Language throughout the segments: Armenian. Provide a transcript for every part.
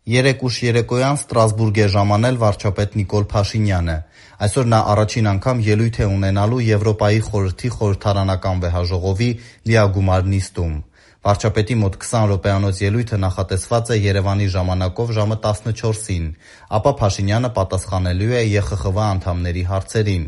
Երեկ ուշ երեկոյան Ստրասբուրգ է ժամանել վարչապետ Նիկոլ Փաշինյանը։ Այսօր նա առաջին անգամ ելույթ է ունենալու Եվրոպայի խորհրդի խորհրդարանական վեհաժողովի լիագումար նիստում։ Վարչապետի մոտ 20 րոպեանոց ելույթը նախատեսված է Երևանի ժամանակով ժամը 14-ին, ապա Փաշինյանը պատասխանելու է ԵԽԽՎ անդամների հարցերին։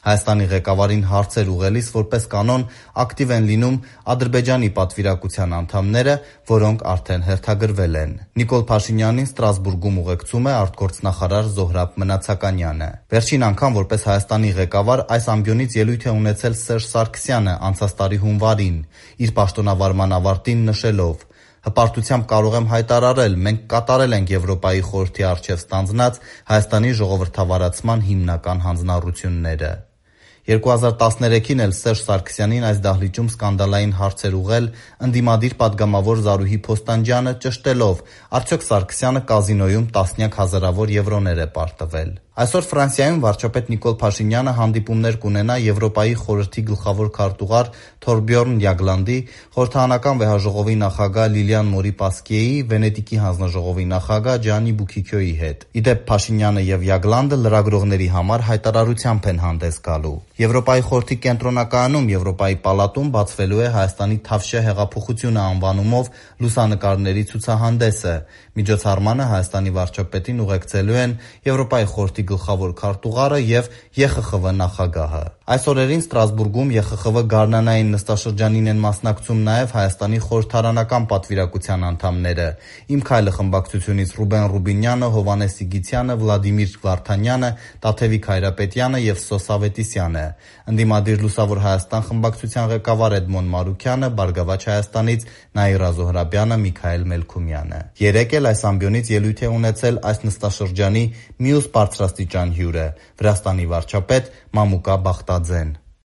Հայաստանի ղեկավարին հարցեր ուղղելիս որպես կանոն ակտիվ են լինում Ադրբեջանի պատվիրակության անդամները, որոնք արդեն հերթագրվել են։ Նիկոլ Փաշինյանին Ստրասբուրգում ուղեկցում է արտգործնախարար Զոհրաբ Մնացականյանը։ Վերջին անգամ որպես Հայաստանի ղեկավար այս ամբիոնից ելույթ է ունեցել Սերժ Սարգսյանը անցած տարի հունվարին, իր պաշտոնավարման ավարտին նշելով. «Հպարտությամբ կարող եմ հայտարարել, մենք կատարել ենք Եվրոպայի խորհրդի առջև ստանձնած Հայաստանի ժողովրդավարացման հիմնական հանձնառությունները»։ 2013-ին էլ Սերժ Սարգսյանին այս դահլիճում սկանդալային հարցեր ուղղել ընդդիմադիր պատգամավոր Զարուհի Փոստանջյանը, ճշտելով՝ արդյոք Սարգսյանը կազինոյում տասնյակ հազարավոր եվրոներ է պարտվել։ Այսօր Ֆրանսիայում վարչապետ Նիկոլ Փաշինյանը հանդիպումներ կունենա Եվրոպայի խորհրդի գլխավոր քարտուղար Թորբյորն Յագլանդի, խորհրդարանական վեհաժողովի նախագահ Լիլիան Մորի-Պասկիեի, Վենետիկի հանձնաժողովի նախագահ Ջանի Բուքիքյոյի հետ։ Ի դեպ, Փաշինյանը եւ Յագլանդը լրագրողների համար հայտարարությամբ են հանդես գալու։ Եվրոպայի խորհրդի կենտրոնակայանում Եվրոպայի պալատում բացվելու է Հայաստանի Թավշյա հեղափոխությունը անվանումով լուսանկարների ցուցահանդեսը։ Միջոցառմանը Հայաստանի վարչապետին ուղեկցելու են Եվրոպայի խորհրդի գլխավոր քարտուղարը եւ ԵԽԽՎ նախագահը։ Այս օրերին Ստրասբուրգում ԵԽԽՎ գարնանային նստաշրջանին են մասնակցում նաեւ Հայաստանի խորհրդարանական պատվիրակության անդամները՝ «Իմ քայլը» խմբակցությունից Ռուբեն Ռուբինյանը, Հովհաննես Սիգիցյանը, Վլադիմիր Վարդանյանը, Տաթևիկ Հայրապետյանը եւ Սոս Ավետիսյանը։ Ընդդիմադիր Լուսավոր Հայաստան խմբակցության ղեկավար Էդմոն Մարուքյանը, Բարգավաճ Հայաստանից Նաիրա Զոհրաբյանը, Միքայել Մելքումյանը։ Երեկ էլ այս ամբիոնից ելույթ է ունեցել այս նստաշրջանի մյուս բարձրաստիճան հյուրը՝ Վրաստանի վարչապետ Մամուկա Բախտաձեն։